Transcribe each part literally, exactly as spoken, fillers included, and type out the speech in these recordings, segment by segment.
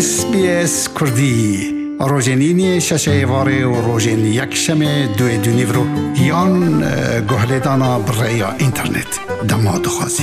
S B S Kurdî, rojên îniyê şeşê êvarê û rojên yekşemê duê dûnîvro yan, e, guhlêdana bi rêya înternet. Dema dixwazî.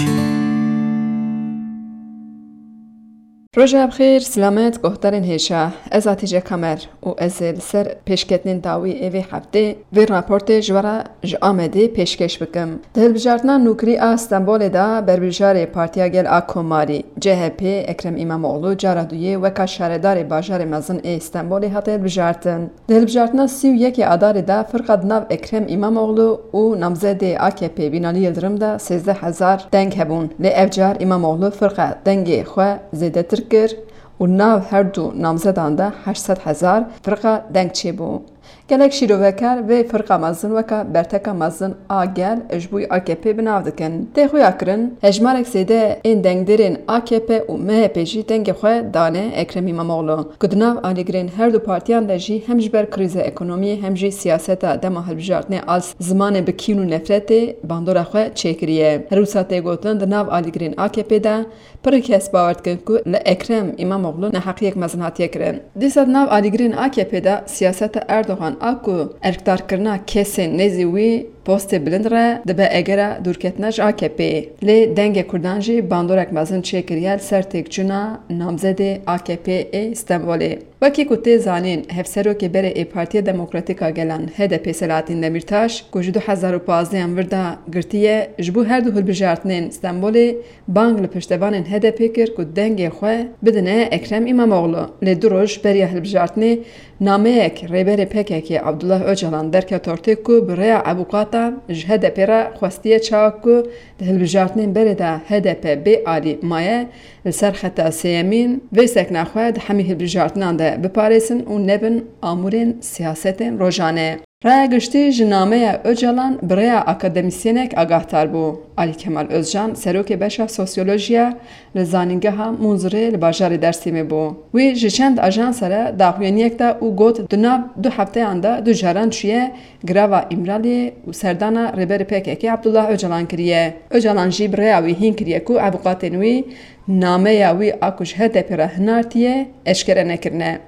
Roja bi xêr, silamet, guhdarên hêşa. Ez Atîce Kamer û ez ê li ser pêşketinên dawî ê vê heftê vê raportê ji we re ji Amedê pêşkêş bikim. Di hilbijartina nûkirî a Stenbolê de berbijarê Partiya Gel a Komarî, C H P, Ekrem Îmamoğlu cara duyê weka şaredarê bajarê mezin ê Stenbolê hate hilbijartin. Di hilbijartina sî û yekê Adarê de firqa di nav Ekrem Îmamoğlu û namzedê A K P Binalî Yildirim de sêzdeh hezar deng hebûn. Lê ev car Îmamoğlu firqa dengê xwe zêdetir kir û nav her du namzedan de heşt sed hezar firqa deng çêbû. Gelek şîrovekar vê firqa mezin weke berteka mezin a gel ji bo A K P bi nav dikin. Tê xuya kirin, hejmarek zêde ên dengdêrên A K P û M H P jî dengê xwe dane Ekrem Îmamoğlu, ku di nav alîgirên her du partiyan de jî hem ji ber krîza ekonomiyê hem jî siyaseta dema hilbijartinê a zimanê bi kîn û nefretê bandora xwe çêkiriye. Her wisa tê gotin, di nav alîgirên A K P de pir kes bawer dikin ku li Ekrem Îmamoğlu neheqiyek mezin hatiye kirin. Dîsa di nav alîgirên A K P de siyaseta Erdogan a ku erkdarkirina kesên nêzî wî postê bilind re dibe egera dûrketina ji A K P. Lê dengê Kurdan jî bandorek mezin çêkiriye li ser têkçûna namzedê A K P ê Stenbolê. Wekî ku tê zanîn, hevserokê berê ê Partiya Demokratîk a Gelan, H D P, Selahattin Demirtaş, ku ji du hezar û pazdeh yan vir de girtiye, ji bo her du hilbijartinên Stenbolê bang li piştevanên H D P kir ku dengê xwe bidine Ekrem Îmamoğlu. Lê du roj beriya hilbijartinê nameyek rêberê P K K Abdullah Ocalan derket ortê ku bi rêya avûkatan ji H D P re xwestiye çawa ku di hilbijartinên berê de H D P bê alî maye, li ser xeta sêyemîn vê sekna xwe di hemî hilbijartinan de biparêzin û nebin amûrên siyasetên rojane. Raya giştî ji nameya Ocalan bi rêya akademîsyenek agahtar bû. Alî Kemal Ozcan, serokê beşa sosyolojiya li Zanîngeha Munzurê li bajarê Dêrsimê bû. Wî ji çend ajansa re daxuyaniyek da û got, di nav du hefteyan de du caran çûye girava Îmraliyê û serdana rêberê P K K Abdullah Ocalan kiriye. Ocalan jî bi rêya wî hîn kiriye ku avûkatên wî nameya wî a ku ji H D P re hinartiye eşkere nekirine.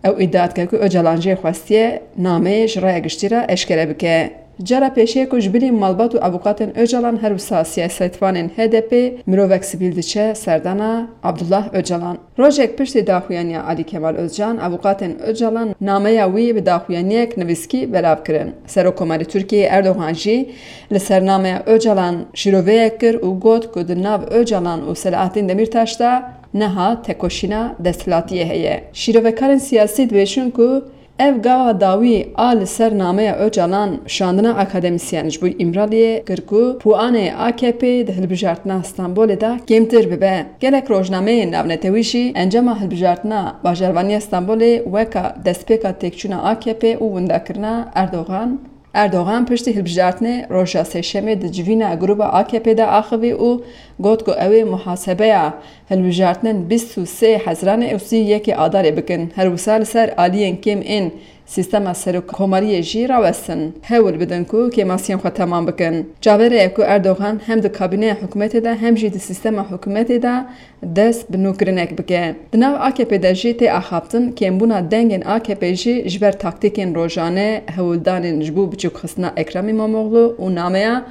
Ew îdia dike ku Ocalan jê xwestiye nameyê ji raya giştî re eşkere bike. Cara pêşê ku ji bilî malbat û avûkatên Ocalan her wisa siyasetvanên H D P mirovek sivîl diçe serdana Abdullah Ocalan. Rojek piştî daxuyaniya Alî Kemal Ozcan, avûkatên Ocalan nameya wî bi daxuyaniyek nivîskî belav kirin. Serokkomarê Tirkiyeyê Erdogan jî li ser nameya Ocalan şîroveyek kir û got ku di nav Ocalan û Selahattin Demirtaş de niha tekoşîna desthilatiyê heye. Şîrovekarên siyasî dibêjin ku ev gava dawî a li ser nameya Ocalan şandina akademîsyen ji bo Îmraliyê kir ku puanê A K P di hilbijartina Stenbolê de kêmtir bibe. Gelek rojnameyên navnetewî jî encama hilbijartina bajarvaniya Stenbolê weka destpêka têkçûna A K P û windakirina Erdogan Erdogan piştî hilbijartinê roja sêşemê di civîna grûba A K P de axivî û got ku ew ê muhasebeya hilbijartinên bîst û sê Hezranê û sî û yekê Adarê bikin. Her wisa li ser aliyên kêm ên sîstema serokkomariyê jî rawestin. Hewl bidin ku kêmasiyên xwe temam bikin. Çaverê ye ku Erdogan hem di kabîneya hikûmetê de hem jî di sîstema hikûmetê de dest bi nûkirinek bike. Di nav A K P de jî tê axaftin, kêmbûna dengên A K P jî ji ber taktîkên rojane hewldanên ji bo biçûkxistina Ekrem Îmamoğlu û nameya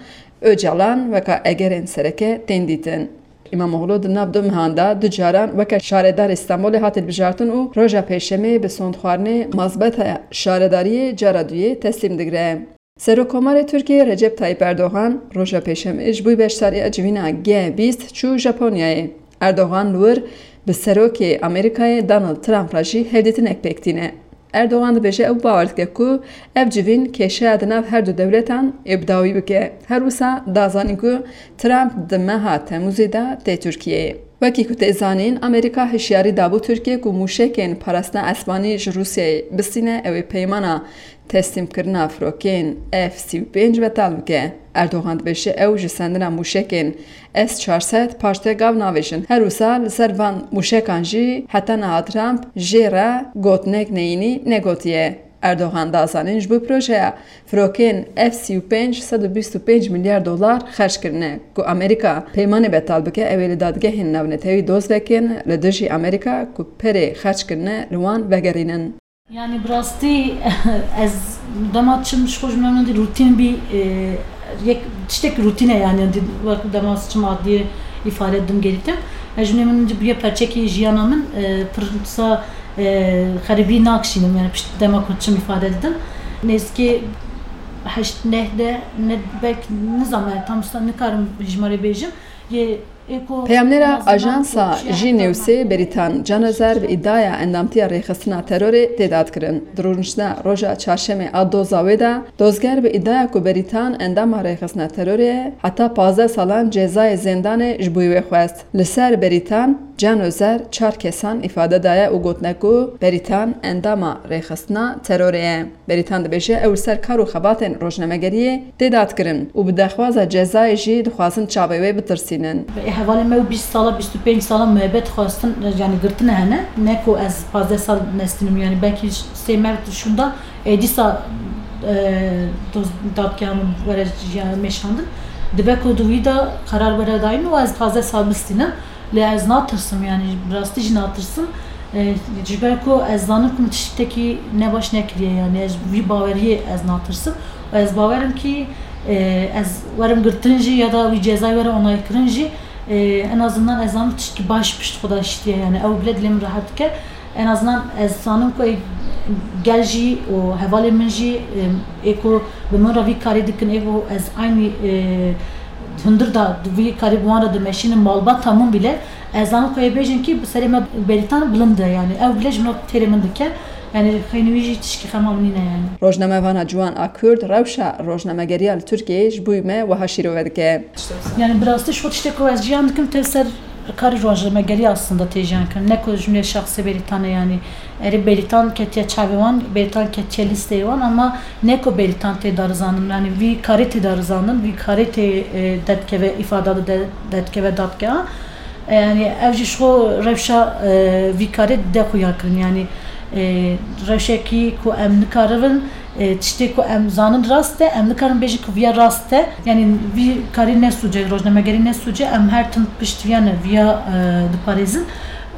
Ocalan weka egerên sereke tên dîtin. Îmamoğlu di nav du mehan de du caran weke şaredarê Stenbolê hat hilbijartin û roja Pêşemê bi sondxwarinê mazbeta şaredariyê cara duyê teslîm digire. Serokkomarê Tirkiyê Recep Tayyip Erdogan roja Pêşemê ji bo beşdariya civîna G bîst çû Japonyayê. Erdogan li wir bi serokê Amerîkayê Donald Trump re jî hevdîtinek pêk tîne. Erdogan dibêje ew bawer dike ku ev civîn kêşeya di nav her du dewletan ê bi dawî bike. Her wisa da zanîn ku Trump di meha Temûzê de tê Tirkiyeyê. Wekî ku tê zanîn, Amerîka hişyarî dabû Tirkiyê ku mûşekên parastina esmanî ji Rûsyayê bistîne, ew ê peymana teslîmkirina firokeyên F sî û pênc betal bike. Erdogan dibêje ew ji sendina mûşekên S çar sed paştê gav navêjin. Her wisa li ser van mûşekan jî heta niha Trump jê re gotinek neyînî negotiye. Erdogan da zanîn, ji bo projeya firokên F sî û pênc sed û bîst û pênc milyar dolar xerc kirine, ku Amerîka peymanê betal bike, ew ê li dadgehên navnetewî doz vekin, li dijî Amerîka ku perê xerc kirine li wan vegerînin. Yani bi rastî ez dema çim ji xwe ji min dî rutîn bî, e, yek tiştek rutîne yani, dî wek dema çim adliyê îfade dim gerîtim. Ez ji min dî bûye perçekî jiyana min, e, pirsa, e, xeribî nakişînim yani pişt dema ku çim îfade didim. Nêzîkî heşt neh de ne belk nizam yani tam usta nikarim hijmarê bêjim. Yê Peyamnêra Ajansa Jî Newsê Berîtan Canözer bi îdaya endamtiya rêxistina terorê tê dadkirin. Di rûniştina roja çarşemê a doza wê de, dozger bi îdaya ku Berîtan endama rêxistina terorê ye, heta pazdeh salan cezayê zêndanê ji bo wê xwest. Li ser Berîtan Canözer çar kesan îfade daye û gotine ku Berîtan endama rêxistina terorê ye. Berîtan dibêje, ew li ser kar û xebatên rojnamegeriyê tê dadkirin û bi daxwaza cezayê jî dixwazin çavê wê bitirsînin. Hevalê me û bîst sala, bîst û pênc sala muhebet xwestin, yani girtine hene. Ne ku ez pazdeh sal nestînim, yani belkî sê mev şûnda, e, dîsa, e, doz-, dadgeha min were jiya mêşandin. Dibe ku di wî de qerar were dayîn û ez pazdeh sal bistînim. Lê ez natirsim, yani bi rastî jî natirsim. E, ji ber ku ez zanim ku min tiştekî nebaş nekiriye, yani ez vî baweriyê ez natirsim. Û ez bawerim ki, e, ez werim girtin jî ya da wî cezayê were onaykirin jî, e, en azından ez zanim tiştekî baş pişt xwe de şitiye, yani ew bile dilê min rehet dike. En azından ez zanim ku ê gel jî û hevalê min jî, e, ê ku bi min re vî karî dikin, ê ku ez aynî, e, hundir da vî karî bi wan re dimeşînim, malbata min bile, ez zanim ku ê bêjin ki bi serê me Berîtan bilind e, yani ew bile ji min re têrê min dike. Yani xeynî wî jî tişkî xema min nîne yani. Rojnamevana ciwan a Kurd rewşa rojnamegeriya li Tirkiyeyê ji bo me wiha şîrove dike. Yani bi rastî ji xwe tiştê ku ez jiyan dikim tev ser karê rojnamegerî aslında tê jiyan kirin. Ne ku ji min şexsê Berîtan e yani. Erê Berîtan ketiye çavê wan, Berîtan ketiye lîsteyê wan ama ne ku Berîtan tê darizandin. Yani vî karê tê darizandin, vî karê tê, e, derdikeve îfada de, de, derdikeve dadgeha. E, yani ev jî ji xwe rewşa, e, vî karê de xuya kirin. Yani, e, rewşekî ku em nikaribin, e, tiştê ku em zanin rast e, em nikarin bêjin ku viya rast e. Yani vî karî ne sûc e, rojnamegerî ne sûc e, em her tim pişt viya ne, viya, e, diparêzin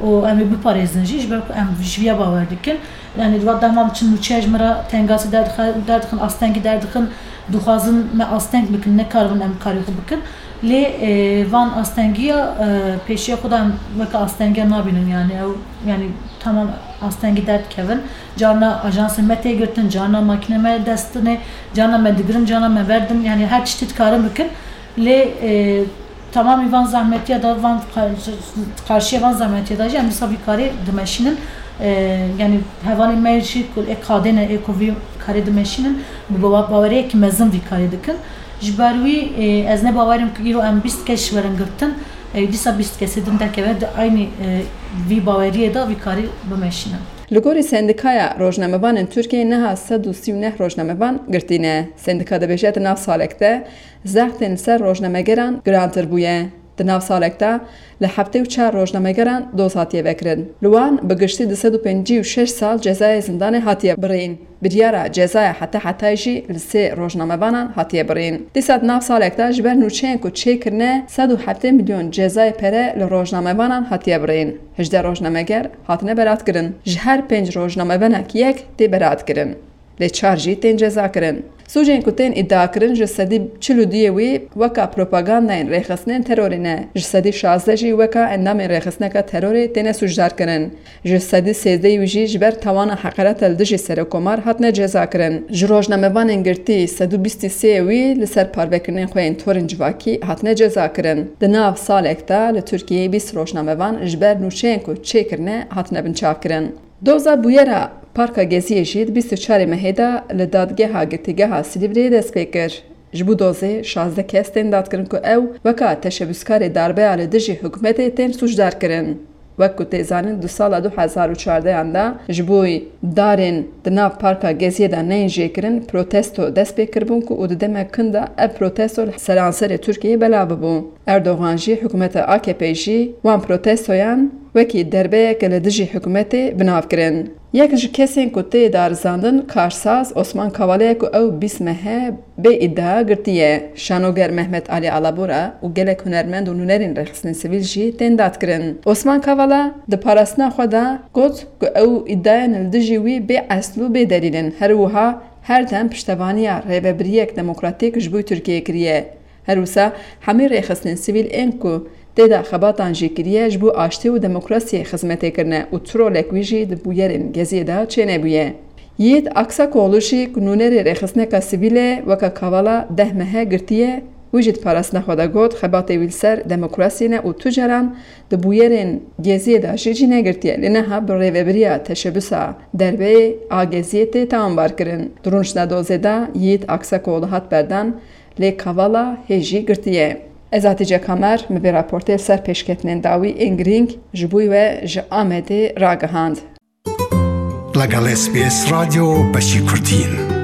û em ê biparêzin jî, ji ber ku em ji viya bawer dikin. Yani di va dema çi nûçeya ji min re tengasî derdixe-, derdixin, astengî derdixin, dixwazin me asteng bikin, nekaribin em karê xwe bikin. Lê, e, van astengiya, e, pêşiya xwe de em weke astengiya nabînin, yani ew, yani tamam astengî derdikevin. Carna ajansên me tê girtin, carna makîne me dest dinê, carna me digirin, carna me berdin, yani her tiştî dikarin bikin. Lê, e, tamamî van zehmetiya da, van qar-, qarşiya van zehmetiya da jî em dîsa vî karê dimeşînin. E, yani hevalên me jî ku ê qadê ne, ê ku vî karê dimeşînin, bi bawa-, baweriyekî mezin vî karê dikin. Ji ber wî, e, ez ne bawerim ku îro em bîst kes werin girtin, e, dîsa bîst kesê din derkeve di aynî, e, vî baweriyê de vî karî bimeşînin. Li gorî Sendîkaya Rojnamevanên Tirkiyeyê niha sed û sî û neh rojnamevan girtî ne. Sendîka dibêje di nav salek de zextên li ser rojnamegeran girantir bûye. Di nav salek de li heftê û çar rojnamegeran doz hatiye vekirin. Li wan bi giştî du sed û pêncî û şeş sal cezayê zindanê hatiye birîn. Biryara cezaya heta hetayê jî li sê rojnamevanan hatiye birîn. Dîsa di nav salek de ji ber nûçeyên ku çêkirine sed û heftê milyon cezayê pere li rojnamevanan hatiye birîn. Hejdeh rojnameger hatine beratkirin. Ji her pênc rojnamevanek yek tê beratkirin. Lê çar jî tên cezakirin. Sûcên ku tên îdiakirin ji sedî çil û duyê wî weka propagandayên rêxistinên terorê ne, ji sedî şazdeh jî weka endamên rêxistineka terorê têne sûcdarkirin. Ji sedî sêzdehê wî jî ji ber tawana heqereta li dijî serokkomar hatine cezakirin. Ji rojnamevanên girtî sed û bîst û sê wî li ser parvekirinên xwe yên torên civakî hatine cezakirin. Di nav salek de li Tirkiyeyê bîst rojnamevan ji ber nûçeyên ku çêkirine hatine binçavkirin. Doza bûyera Parka Geziyê jî di bîst û çarê mehê de li Dadgeha Girtîgeha Silîvriyê dest pê kir. Ji bo dozê şazdeh kes tên dadkirin ku ew weka teşebûskarê darbeya li dijî hikûmetê tên sûcdar kirin. Wek ku tê zanîn, di sala du hezar û çardehan de ji bo darên di nav Parka Geziyê de neyên jêkirin protesto dest pê kiribûn ku û di demek kin de ev protesto li seranserê Tirkiyeyê belav bibû. Erdogan jî, hikûmeta A K P jî wan protestoyan wekî derbeyeke li dijî hikûmetê bi nav kirin. Yek ji kesên ku tê darizandin karsaz Osman Kavala ye ku ew bîst mehe bê îdia girtiye. Şanoger Mehmet Alî Alabora û gelek hunermend û nûnerên rêxistinên sivîl jî tên dadkirin. Osman Kavala di parastina xwe de got ku ew îdiayên li dijî wî bê esl û bê delîl in. Her wiha her dem piştevaniya rêvebiriyek demokratîk ji bo Tirkiyeyê kiriye. Her wisa hemî rêxistinên sivîl ên ku tê de xebatan jî kiriye ji bo aştî û demokrasiyê xizmetê kirine û tu rolek wî jî di bûyerên Geziyê de çênebûye. Yiğit Aksakoglu jî ku nûnerê rêxistineka sivîl e weke Kavala deh mehe girtiye, wî jî di parastina xwe de got, xebatê wî li ser demokrasiyê ne û tu caran di bûyerên Geziyê de jî cî negirtiye, lê niha bi rêvebiriya teşebusa derbeyê a Geziyê tê tawanbar kirin. Di rûniştna dozê de Yiğit Aksakoglu hat berdan, lê Kavala hê jî girtiye. Ez Hatice Kamer, min vê raportê li ser pêşketinên dawî ên girîng ji bo we ji Amedê ragihand. لەگەڵ S B S رادیۆ بەشی کوردین.